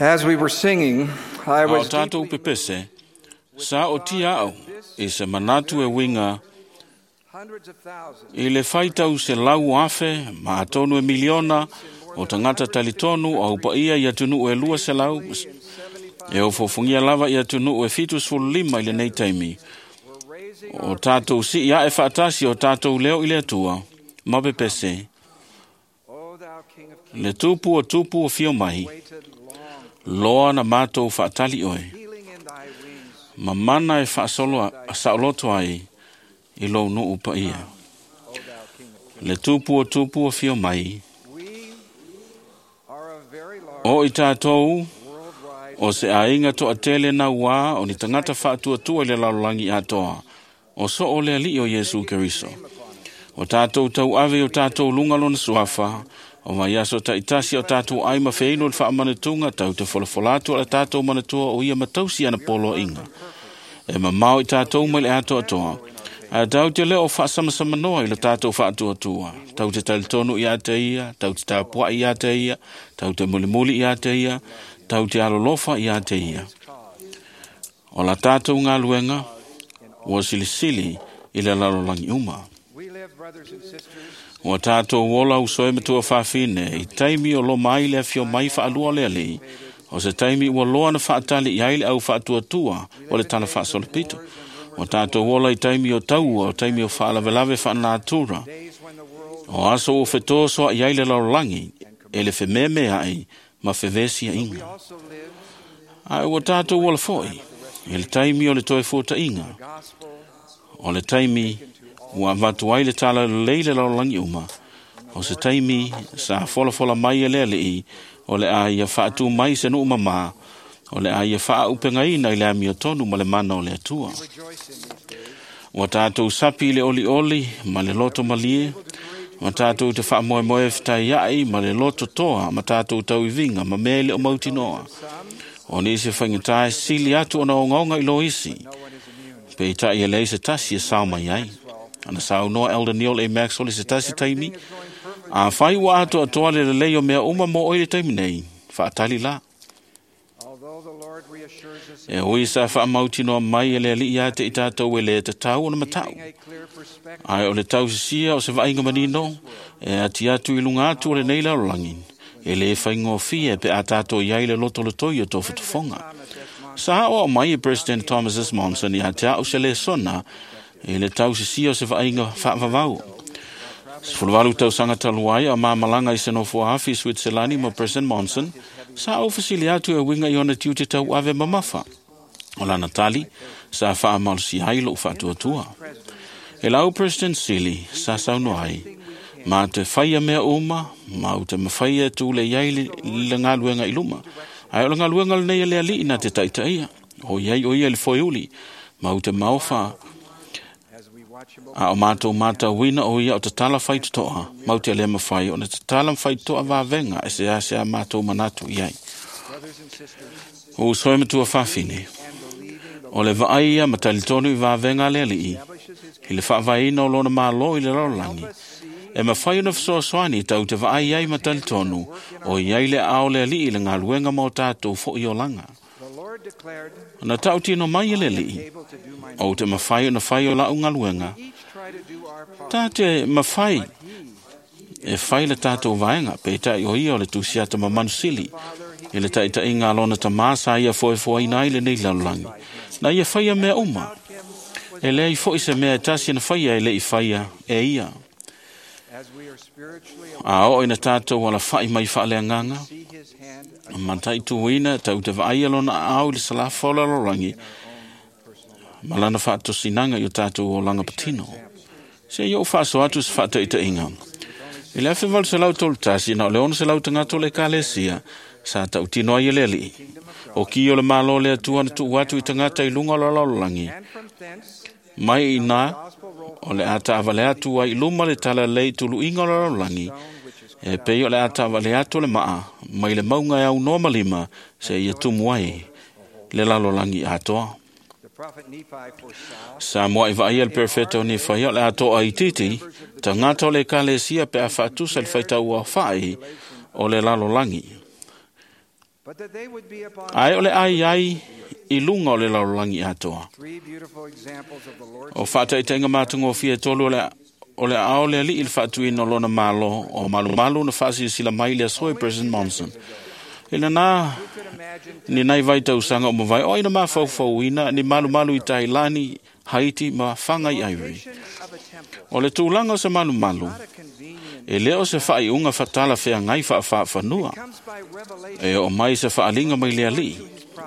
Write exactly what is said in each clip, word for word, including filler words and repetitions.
As we were singing, I A o was tātou deeply pepese, sa o tia au, i se manatu e winga, hundreds of thousands i le whaitau se lau afe, ma atonu e miliona, o tangata talitonu o upaia i atunu e lua se lau, e o fofungia lava i atunu e fitu sefulu lima i lenei taimi. were raising O tātou si ia e whaatasi o tātou leo i le atua, ma pepese, O thou King of Kings, le tupu o tupu o fio mai, waited long, loa na mātou whaatali oe, healing in thy wings, ma mana e whaasolo, saoloto ai, i lou nuu paia. O thou King of Kings. Le tupu o tupu o fio mai, We are a very large o i tātou, worldwide o se ainga toa tele na ua o ni tangata whaatuatua i le lalolagi atoa, o so o le ali o Iesu Keriso. O tātou tau ave o tātou lunga lona suafa, o vai aso taitasi o tātou ai ma wheino le whaamanatunga tau te folafola atu ala tātou manatua o ia matausi ana polo inga. E mamao i tātou mai le atoa atoa. A tau te leo whaasamasama noa i le tātou whaatuatua. Tau te talitonu i a te ia, tau te tāpua i a te ia, tau te mulimuli i a te ia, tau te alolofa i a te ia. O la tātou ngā luenga, ua silisili i le lalolagi uma. We live, brothers and sisters, Ua tātou ola usoe matua whawhine, i taimi o lo mai le awhio mai whaalua le ali, o se taimi ua loa na whaatali i aile au whaatuatua o le tala whaasolopito. O tātou ola i taimi o taua, o taimi o whaalavelave whaanatura, days when the world o aso o whetoa soa i aile lalolagi, e le whememe ai, ma whewesi a we inga. also live Ai ua tātou ola foi, i le taimi o le toe fōta inga, the gospel o le taimi ua avatu ai le tala lelei le lalolagi uma. O se taimi sa folafola mai e le alii, o le a ia faatu mai se nuu mamā, o le a ia faaupegaina i le amio tonu ma le mana o le Atua. rejoice in these days. Ua tātou sapi i le olioli ma le loto malie, ma tātou te whaamoemoe whitai ai ma le loto toa ma tātou tauivinga ma mea i le o mautinoa. Some, O nisi whaingatāe sili atu ona ongaonga i lo isi, no one is immune. pe i tai e lei se tasi e sao mai ai. Ana sao noa Elder Neil A. Maxwell i se tasi taimi, Everything is going perfectly. a whai ua atu atoa le lelei o mea uma mo oi le taimi nei, whaatali la. Although the Lord reassures us E oi sa whaamautinoa mai e le ali ia te i tātou e le te tau ona matau. keeping a clear perspective Ai o le tausisia o se vainga manino, e ati atu i lunga atu o le nei lalolagi. E le whaingofia pe a tātou iai le loto le toi o tō whatufonga. Thomas S. Monson Sa o mai e President Thomas S. Monson i a te au se le sona, e le tausisia o se vainga whaavavau. Sefuluvalu tausaga talu ai a mamalanga i se nofo afi i Switzerland ma President Monson, sa au fesili atu e winga i ona tiute tau ave mamafa. O lana tali, sa whaamalosi ai lou whaatuatua. E lau President Sili, sa sauno ai, ma te whaia mea uma, ma u te mawhaia tūle iai le, le ngāluenga i luma. Ai o le ngāluenga le nei e le alii na te taitaia. O iai o ia le foiuli, ma u te maofa as we watch him a o mātou mātou wina o ia o te tala whai toa, mau te lema whai, o na te tala whai toa vāvenga e se a se a mātou manatu i ai. brothers and sisters O usoe matua whawhine, and believing the o le vaai ma talitonu i vāvenga le alii, establishes his i le whaavaina o lona mālo i le lalolagi. us see E mawhai ona whasoasoani tau te vaai ai ma talitonu, o i ai le ao le alii le ngā luenga mō tātou fo i olanga. the Lord declared Na tau tino mai e le alii, able to do my o te mawhai ona whai o lau ngā luenga, each try to do our part tā te mawhai he e whai le tātou vaenga, pe tai o ia o le tusiata ma manusili, Father he i le taitai ngā lona tamā sa ia foe foe ina i le nei lalolagi. Na ia whaia mea uma, him was e lea i fo i se mea e tasi na whaia e le i whaia e ia. as we are spiritually A o ina tātou ala whai mai whaale nganga, see his hand ma tai tuina tau te vaai lona au i le salafa o lalolagi, ma lana whaatosinanga i o tātou o langa patino. Se i o whaaso atu se whaataitainga. I le awhi walu se lau tolu tasi, na o le ono se lau tangato le kalesia, sa tau tino ai e le alii. O ki o le malo le atua na tuu atu i tangata i lunga o la lalolagi. and from thence Mai i nā, gospel roll o le ata awale atu ai i luma le tala lei tulu inga o la lalolagi, stone which is e pei o le ata awale atu le maa, mai le maunga e au noa malima, se ia tumu ai le lalolagi atoa. the prophet Nephi foresaw Sa moa i vaai el perfecto ni whai o le atoa i titi, tangata o le kalesia pe a whaatusa le whaitau a whai o le lalolagi. but that they would be upon Ae o le ai ai i luga o le lalolagi atoa. three beautiful examples of the Lord's O faataitaiga matagofie e tolu o le o le ao le alii i le faatuina o lona malo o malumalu na faasilasila mai le aso e President Monson. I lena Who could imagine ni nai vai tausaga o mawai o ina mafaufauina ni malumalu i Tailani, Haiti ma Whangai Ivory. location of a temple, O le tulaga o se malumalu, not a convenient, e leo se whaiunga whatala whea ngai whaawhawhanua. comes by revelation, E o mai se whaalinga mai le alii,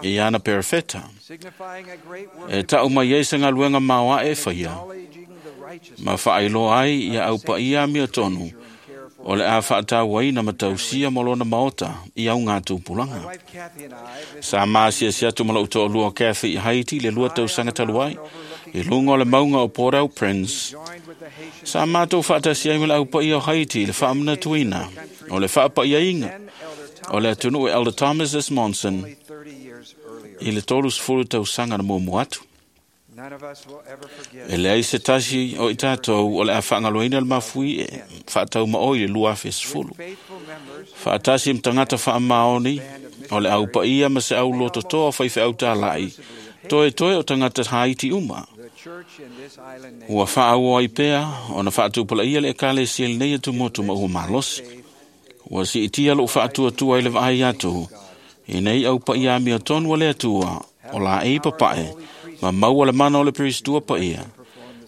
e ana perefeta. signifying a great work E tau mai ei se ngaluenga maoa e whaia, acknowledging the righteousness ma whaailoa ai ia au paia mia tonu, and care for. o le a whaatauaina ma tausia mo lona maota i au ngā tupulanga. My wife Kathy and I visited Sa masia si atu malo uto lua Kathy i Haiti le lua tausaga talu ai, i lunga o le maunga o Port-au-Prince, joined with the Haitian sa mātou whaatasi ai me le au paia o Haiti i le whaamanatuina, o le whaapaiainga, then Elder o le Thomas atunu e Elder Thomas S. Monson only thirty years earlier. i le tolu sefulu tausaga na muamua atu. None of us will ever forget E leai se tasi o i tātou o le a whaangaloina le mafui e whaatau maoi le lua afe sefulu. faithful members Whaatasi mtangata whaamaoni o le au paia ma se au lototoa whaiwhe au tālai. Toe toe o tangata Haiti uma. the church in this island nation Ua whaaua i pea o na whaatupala ia le ekale si el nei atu motu ma ua malosi. Ua si itia lo whaatua tua i le vaai atu. I nei au paia mia tonu o le atua o la e papae ma maua le mana o le peristua paia.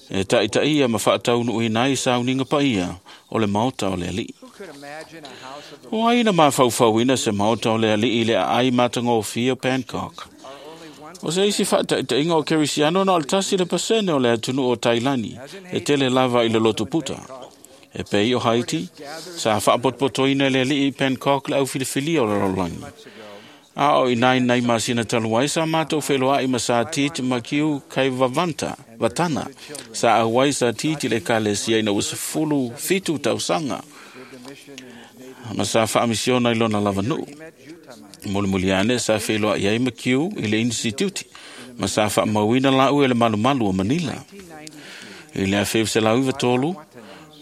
E taitaia ma whaataunu i nai sauninga paia o le maota o le alii. Who could imagine a house of the O aina mafaufauina se maota o le alii le aai matagofie o Bangkok. are only one O se isi faataitaiga o Kerisiano na o le tasi le pasene o le atunuu o Tailani e tele lava i le lotu puta. E pei o Haiti, sa faapotopotoina le alii i Bangkok le au filifilia o le lalolagi. months ago A o i nai nai masina talu ai sa mātou wheloai ma sa titi ma kiu kai vavanta, vatana. Sa auai sa titi le kalesia ina ua sefulu fitu tausaga. served a mission in his native Ma sa whaamisiona i lona lava nuu. he met Jutama Mulimuli ane sa wheloa i ai ma kiu i le instituti. Ma sa whaamauina la ue le malumalu o Manila. nineteen ninety-three I le awhiu se lau iwa tolu,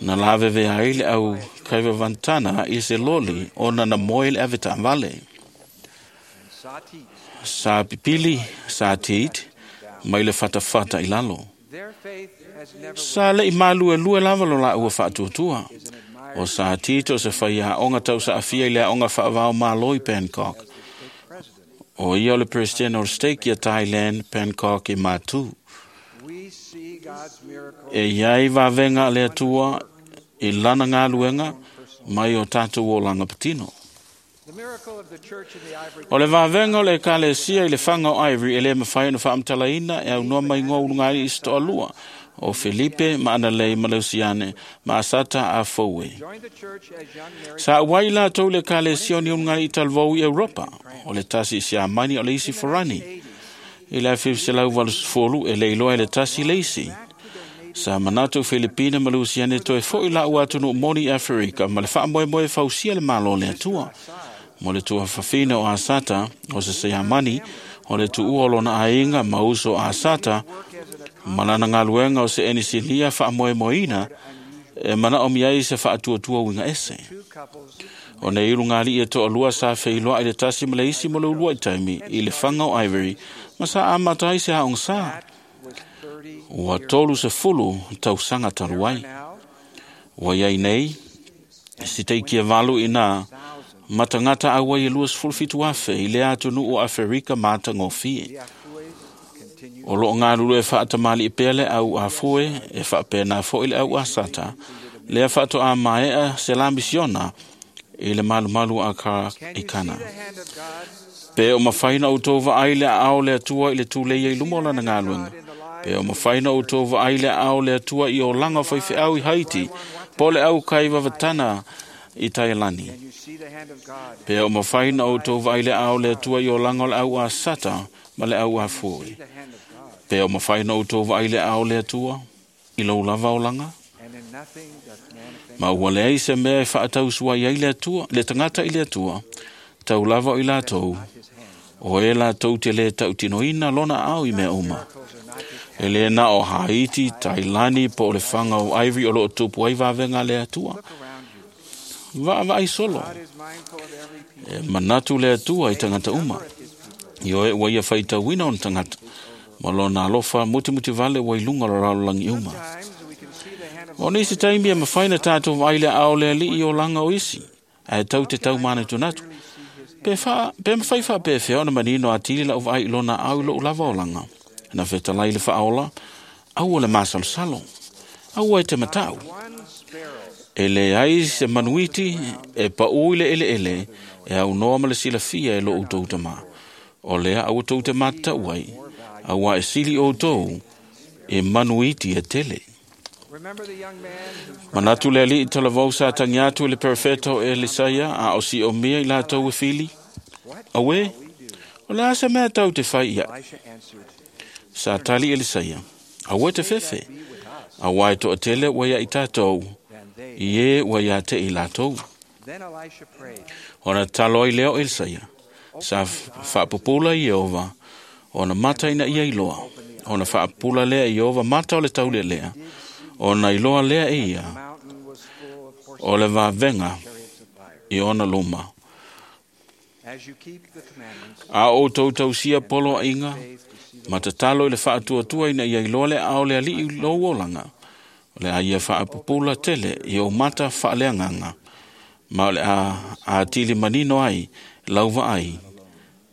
na laveve ai le au kaivavantana i se loli o nana moe le aweta vale. and Sati Sa pipili, sa tit, mai le fatafata i lalo. their faith has never Sa le i malu e lue lava lo la ua whaatuatua. is an admired O sa tito se whaia onga tau sa afia i le onga whaavao malo i Bangkok. as the state president. O ia o le President o le Stake ia Thailand, Bangkok i Matu. We see God's miracle E iai vavenga le atua i lana ngā luenga mai o tātou o langa patino. The miracle of the church in the Ivory O le vavenga o le ekalesia i le whanga o Ivory e le mawhai na whaamtalaina e au noa mai ngō ulunga i sto alua o Felipe ma Analei ma Leusiane ma Asata a Fowe. joined the church as young married Sa wai la tau le ekalesia o ni ulunga i talvau i Europa o le tasi i siamani o le isi forani. I le awhiw se lau walu sefolu e leiloa e le tasi le isi. back to their native Sa manatu Filipina ma Lusiane toe foi la ua atunu moni Afrika ma le whaamoemoe fausia le malo le atua. Mo le tua whawhina o Asata, o se seamani, o le tuua o lona ainga ma uso Asata, work as an ma lana ngaluenga o se enisilia whaamoemoeina, e mana o miai se whaatuatua winga ese. two couples O nei ulu ngali e toa lua sa wheiloa i le tasi ma le isi mo le ulua i taimi i le whanga o Ivory, ma sa amatai se haong sa. that was thirty Ua tolu se fulu tausaga talu ai. now Ua iai nei, si teiki e valu i nā, thousand matangata aua i lua sefulu fitu afe i le atunuu o Aferika matagofie. the Afues continue O loo galulue faatamali'i pea le au afue e faapena fo'i le au asata, lea faatoā maea se la misiona i le malumalu a ka Can i you see Kana. the hand of God Pe o mawhaina o tō vaai le ao le atua i le tūleia i luma o lana galuega. Pe o mawhaina o tō vaai le ao le atua i o langa whaiwhiau i Haiti, po le au kai vavatana i Tailani. Can you see the hand of God Pe o mawhaina o tō vaai le ao le atua i o langa o le au a sata ma le au a fue. See the hand of God Pe o mawhaina o tō vaai le ao le atua i lou lava o langa. and in nothing doth man offend Ma ua leai se mea e whaatausua i ai le atua, le tangata i le atua, tau lava o i lātou, not his hand o e lātou te le tautinoina lona ao i mea uma. Miracles are not just E le na o Haiti, Tailani, po o le whanga o Ivory o loo tupu ai vavenga le atua. look around you Vaavaai solo. E manatu le Atua i tagata uma. Ioe ua ia faitauina ona tagata. Ma lona alofa mutimuti vale ua i luga o le lalolagi uma. O nisi taimi e mafai na tatou vaai le aao o le Alii i olaga o isi, ae tau te tau manatunatu. Pe, fa, pe mafai faapefea ona manino atili lau vaai i lona aao i lou lava olaga. Na fetalai le faaola, aua le masalosalo, aua e te matau. E leai se manuiti e paū i le eleele e aunoa ma le silafia e lo outou tamā. O lea aua tou te matatau ai, auā e sili outou e manuiti e tele. Manatu le Alii talavou sa tagi atu i le perofeta o Elisaia a o siomia i latou e fili. Auē, o le a se mea tau te fai iaʻu? Sa tali Elisaia, aua e te fefe, auā e toatele ua ia i tatou, i e ua ia te i latou. Ona tatalo ai lea o Elisaia, sa faapupula Ieova, ona mata ina ia iloa. Ona faapupula lea e Ieova mata o le taulealea, ona iloa lea e ia o le vavega i ona luma. A o outou tausia poloaiga, ma tatalo i le faatuatua ina ia iloa le aao o le Alii i lou olaga, o le a ia faapupula tele i ou mata faaleagaga, ma o le a atili manino ai lau vaai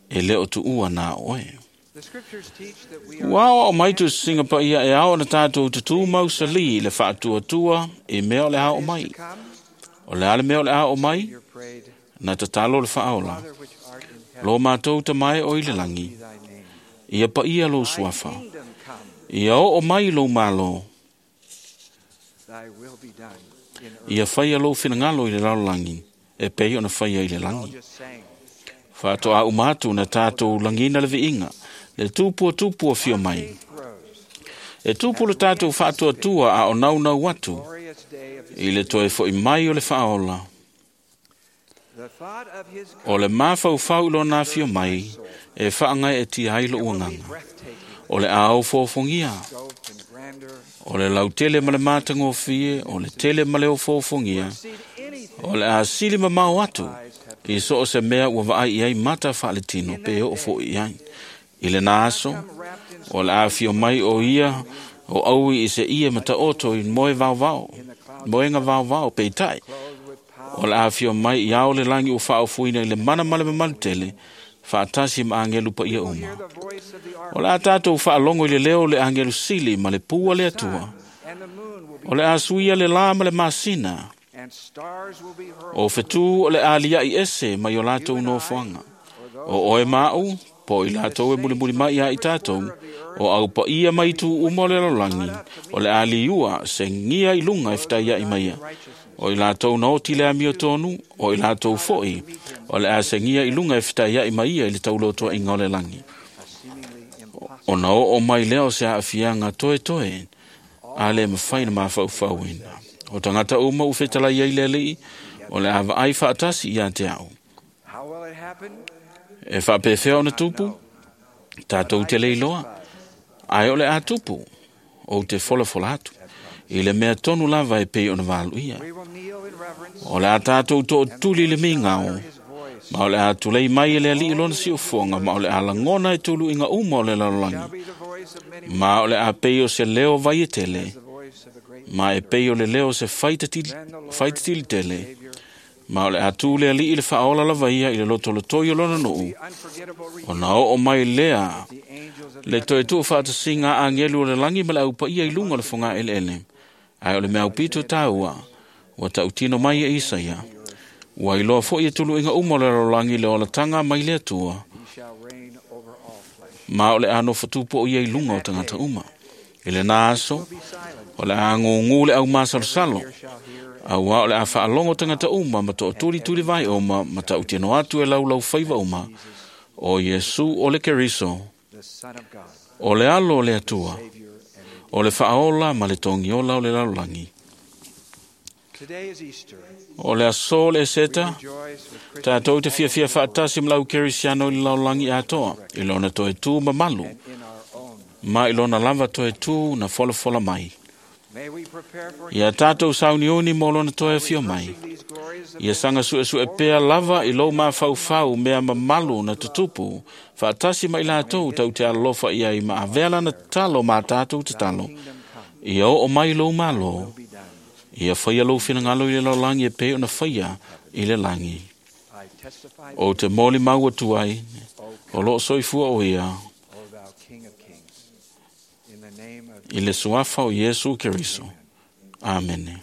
e le o tuua na oe. Ua aoao mai tusisiga paia e ao ona tatou tutū mausali i le faatuatua i mea o le a oo mai. O le a le mea o le a oo mai? Na tatalo le faaola. Lo matou tamae o i le lagi, ia paia lou suafa, ia oo mai lou malo, ia faia lou finagalo i le lalolagi, e pei ona faia i le lagi. Faatoa uma atu na tatou lagina le viiga, le tupu o tupu o fio mai. E tupu le tatou faatuatua a o naunau atu i le toe foi mai o le faaola. O le mafaufau i lona afio mai e faagaeetia ai lou agaga. O le a ofoofogia, o le lautele ma le matagofie, o le tele ma le ofoofogia, o le a sili mamao atu i so o se mea ua vaai i ai mata faaletino pe oo foi i ai. I lena aso, o le a afio mai o ia o aui i se ie mataoto i moe vaovao, moega vaovao peitai. O le a afio mai i ao le lagi ua faaofuina i le mana ma le mamalu tele, faatasi ma agelu paia uma. O le a tatou faalogo i le leo o le agelu sili ma le pua le Atua. O le a suia le lā ma le masina, o fetū o le a liaʻi ese mai o latou nofoaga. O oe ma aʻu, po o i latou e mulimuli mai ia i tatou, o au paia mai itu uma o le lalolagi, o le a liua segia i luga e fetaiaʻi mai ia. O i latou na oti le amiotonu, o i latou foi, o le a segia i luga e fetaiaʻi mai ia i le taulotoaiga o le lagi. Ona oo mai lea o se aafiaga toetoe, a le mafai na mafaufauina. O tagata uma ua fetalai ai le Alii, o le a vaai faatasi ia te au. E faapefea ona tupu, tatou te le iloa, ae o le a tupu, ou te folafola atu, i le mea tonu lava e pei ona valuia. O le a tatou tootuli i le migao, ma o le a tulei mai e le Alii lona siufofoga, ma o le a lagona e tuluiga uma o le lalolagi, ma o le a pei o se leo vai e tele, ma e pei o le leo o se faitatili tele, ma o le a tu le Alii i le faaola lava ia i le lotolotoi o lona nuu, ona oo mai lea le toe tuufaatasiga a agelu o le lagi ma le aupaia i luga o le fogaeleele. Ae o le mea aupito taua, ua tautino mai e Isaia, ua iloa foi e tuluiga uma o le lalolagi le olataga mai le Atua, ma o le a nofotupu o ia i luga o tagata uma. I lena aso, o le a gugū le aumasalosalo, auā o le a faalogo tagata uma ma tootulituli vai uma ma tautino atu e laulaufaiva uma, o Iesu o le Keriso, o le alo o le Atua, o le faaola ma le togiola o le lalolagi. O le aso o le Eseta, tatou te fiafia faatasi ma lau Kerisiano i le lalolagi atoa, i lona toe tū mamalu, ma i lona lava toe tū na folafola mai. Ia tatou sauniuni mo lona toe afio mai. glorious Ia saga suesue pea lava i lou mafaufau mea mamalu na tutupu, faatasi ma i latou tau te alolofa i ai ma avea lana tatalo ma tatou tatalo. Kingdom come, Ia oo mai lou malo, be done. ia faia lou finagalo i le lalolagi e pei ona faia i le lagi. I testify, O te moli mau atu ai, O o loo soifua o ia, O thou King of Kings, in the name of i le suafa o Iesu Keriso. Amene.